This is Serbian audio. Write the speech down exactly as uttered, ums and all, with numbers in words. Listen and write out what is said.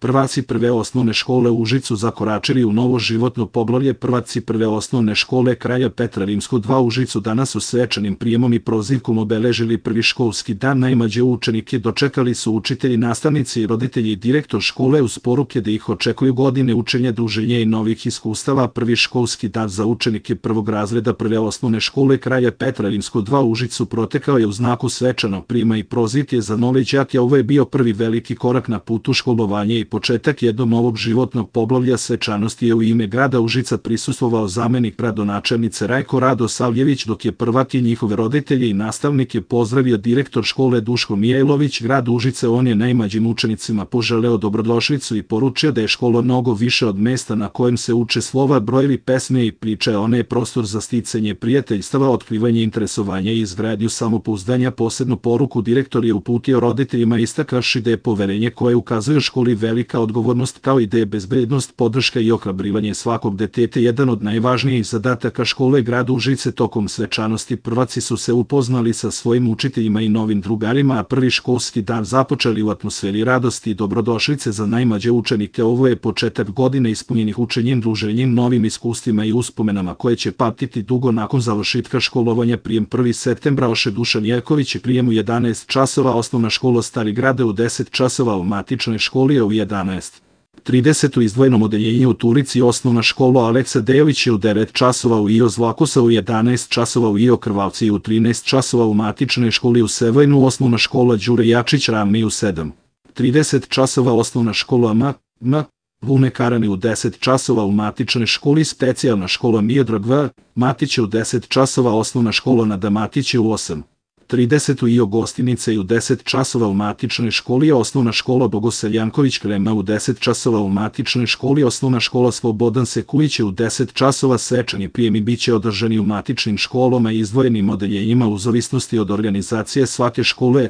Prvaci prve osnovne škole u Užicu zakoračili u novo životno poglavlje. Prvaci prve osnovne škole kraja Petra Rimskog dva u Užicu danas su svečanim prijemom i prozivkom obeležili prvi školski dan. Najmlađe učenike dočekali su učitelji, nastavnici i roditelji i direktor škole uz poruke da ih očekuju godine učenja, druženja i novih iskustava. Prvi školski dan za učenike prvog razreda prve osnovne škole kraja Petra Rimskog dva u Užicu protekao je u znaku svečanog prijema i prozivke za nove đake. Ovo je bio prvi veliki korak na putu školovanja i početak jednog novog životnog poglavlja. Svečanosti je u ime grada Užica prisustvovao zamenik gradonačelnice Rajko Radosavljević, dok je prvak i njihove roditelje i nastavnike pozdravio direktor škole Duško Mijailović. Grad Užice on je najmlađim učenicima poželeo dobrodošlicu i poručio da je škola mnogo više od mesta na kojem se uče slova, brojevi, pesme i priče. Ona je prostor za sticanje prijateljstava, otkrivanje interesovanja i izgradnju samopouzdanja. Posebnu poruku direktor je uputio roditeljima, istakavši da je poverenje koje ukazuje školi velika odgovornost, kao i da je bezbednost, podrška i ohrabrivanje svakog deteta jedan od najvažnijih zadataka škole grada Užice. Tokom svečanosti prvaci su se upoznali sa svojim učiteljima i novim drugarima, a prvi školski dan započeli u atmosferi radosti i dobrodošlice za najmlađe učenike. Ovo je početak godine ispunjenih učenjem, druženjem, novim iskustvima i uspomenama koje će pamtiti dugo nakon završetka školovanja. Prijem prvog septembra Oše Dušan Jerković je prijem u jedanaest časova, osnovna škola Stari Grade u deset časova, u matičnoj školi je u jedanaest trideset, u izdvojenom odeljenju u Turici osnovna škola Aleksa Dejović je u devet časova, u I O Zlakosa u jedanaest časova, u I O Krvavci u trinaest časova, u matičnoj školi u Sevojnu osnovna škola Đure Jačić Rami u sedam trideset časova, osnovna škola M. M. Vune Karani u deset časova, u matičnoj školi specijalna škola Miodrag V. Matić u deset časova, osnovna škola Nada Matić u osam trideset, u I O Gostinice i u deset časova, u matičnoj školi osnovna škola Bogoselj Janković Krema u deset časova, u matičnoj školi osnovna škola Slobodan Sekulić u deset časova. Svečani prijemi biće održani u matičnim školama i izdvojenim odeljenjima u zavisnosti od organizacije svake škole.